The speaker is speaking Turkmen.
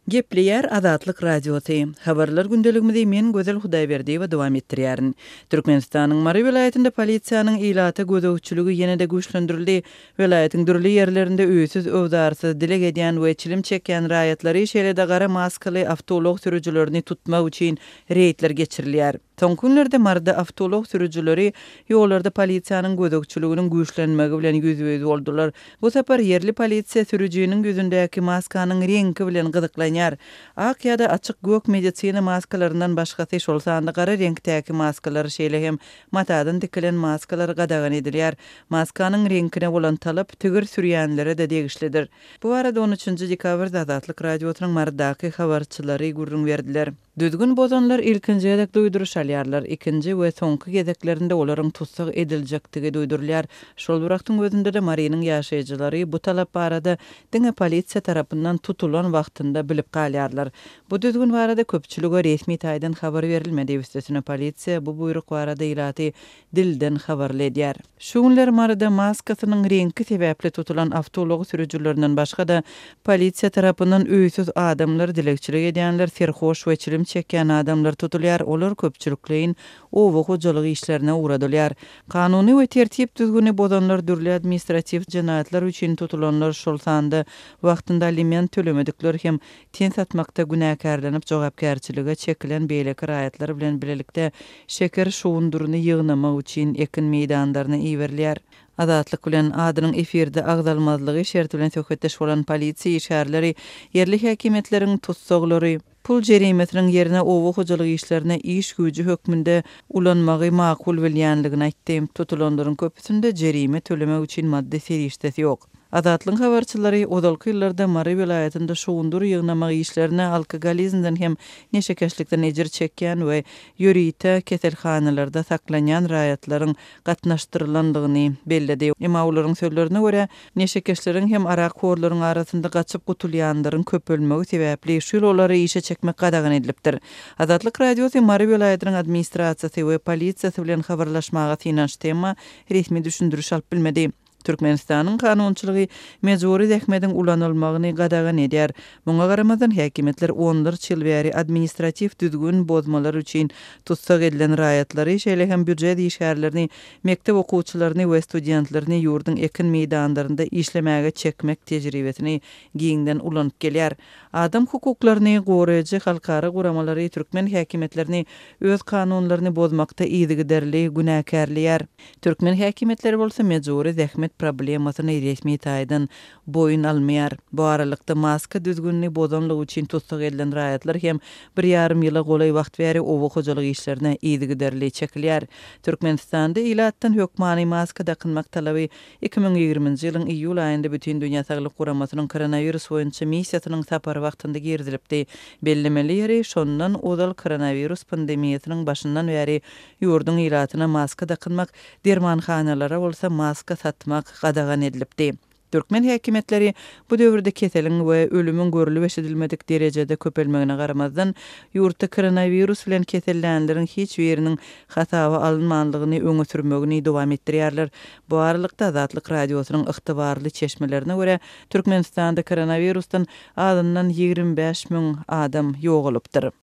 Gepleýär Azatlyk Radiosy. Habarlar gündeligimizi men Gözel Hudaýberdiýewa dowam etdirýärin. Türkmenistanyň Mary welaýatynda polisiýanyň ilata gözegçiligi ýene-de güýçlendirildi. Welaýatyň dürli ýerlerinde öýsüz-öwzarsyz dileg edýän we çilim çekýän raýatlary, şeýle-de gara maskaly awtoulag sürüjilerini tutmak üçin reýdler geçirilýär. Soňky günlerde Maryda awtoulag sürüjileri ýollarda polisiýanyň gözegçiliginiň güýçlenmegi bilen ýüzbe-ýüz boldular. Bu sapar ýerli polisiýa sürüjiniň ýüzündäki maskanyň reňki bilen gyzyklanýar. Ak ýa-da açyk gök medisina maskalaryndan başgasy, şol sanda gara reňkdäki maskalar, şeýle hem matadan tikilen maskalar gadagan edilýär. Maskanyň reňkine bolan talap tigir sürýänlere-de degişlidir. Bu barada on üçünji dekabrda Azatlyk Radiosynyň Marydaky habarçylary gürrüň berdiler. Düzgün bozanlar ilkinji gezek duýduryş alýarlar, ikinji we soňky gezeklerinde olaryň tussag ediljekdigi duýdurylýar. Şol bir wagtyň özünde-de Marynyň ýaşaýjylary bu talap barada diňe polisiýa tarapyndan tutulan wagtynda bilip galýarlar. Bu düzgün barada köpçülige resmi taýdan habar berilmedi, üstesine polisiýa bu buýruk barada ilaty dilden habarly edýär. Şu günler Maryda maskasynyň reňki sebäpli tutulan awtoulag sürüjilerinden başga-da, polisiýa tarapyndan öýsüz adamlar, dilegçilik edýänler, serhoş we çilim çekýän adamlar tutulýar, olar köpçülikleýin oba hojalyk işlerine ugradylýar. Kanuny we tertip-düzgüni bozanlar, dürli administratiw jenaýatlar üçin tutulanlar, şol sanda wagtynda aliment tölemedikler hem ten satmakda günäkärlenip jogapkärçilige çekilen beýleki raýatlar bilen bilelikde şeker şugundyryny ýygnamak üçin ekin meýdanlaryna iberilýär. Azatlyk bilen adynyň efirde agzalmazlygy şerti bilen söhbetdeş bolan polisiýa işgärleri ýerli häkimiýetleriň tussaglary pul jerimesiniň ýerine oba hojalyk işlerine iş güýji hökmünde ulanmagy makul bilýänligini aýtdy. Tutulanlaryň köpüsinde jerime tölemek üçin maddy serişdesi ýok. Azatlygyň habarçylary ozalky ýyllarda Mary welaýatynda şugundyr ýygnamak işlerine alkogolizmden hem neşekeşlikden ejir çekýän we ýörite keselhanalarda saklanýan raýatlaryň gatnaşdyrylandygyny belledi. Emma olaryň sözlerine görä, neşekeşleriň hem arakhorlaryň arasynda gaçyp gutulýanlaryň köpelmegi sebäpli şu ýyl olary işe çekmek gadagan edilipdir. Azatlyk Radiosy Mary welaýatynyň administrasiýasy we polisiýasy bilen habarlaşmaga synanyşdy, emma resmi düşündiriş alyp bilmedi. Türkmenistanyň kanunçylygy mejbury zähmediň ulanylmagyny gadagan edýär. Muňa garamazdan, häkimiýetler onlarça ýyl bäri administratiw düzgün bozmalar üçin tussag edilen raýatlary, şeýle hem býujet işgärlerini, mekdep okuwçylaryny we studentlerini ýurduň ekin meýdanlarynda işlemäge çekmek tejribesini giňden ulanyp gelýär. Adam hukuklaryny goraýjy halkara guramalary türkmen häkimiýetlerini öz kanunlaryny bozmakda yzygiderli günäkärleýär. Türkmen häkimiýetleri bolsa mejbury zähmet problemasyny resmi taýdan boýun almaýar. Bu aralykda, maska düzgünini bozanlygy üçin tussag edilen raýatlar hem bir ýarym ýyla golaý wagt bäri oba hojalyk işlerine yzygiderli çekilýär. Türkmenistanda ilatdan hökmany maska dakynmak talaby 2020-nji ýylyň iýul aýynda Bütindünýä Saglyk Guramasynyň koronawirus boýunça missiýasynyň sapary wagtynda girizilipdi. Bellemeli ýeri, şondan ozal koronawirus pandemiýasynyň başyndan bäri Ýurduň ilatyna maska dakynmak, dermanhanalara bolsa maska satmak gadagan edilipdi. Türkmen häkimiýetleri bu döwürde keseliň we ölümiň görlüp-eşidilmedik derejede köpelmegine garamazdan, ýurtda koronawirus bilen kesellänleriň hiç biriniň hasaba alynmanlygyny öňe sürmegini dowam etdirýärler. Bu aralykda, Azatlyk Radiosynyň ygtybarly çeşmelerine görä, Türkmenistanda koronawirusdan azyndan 25 müň adam ýogalypdyr.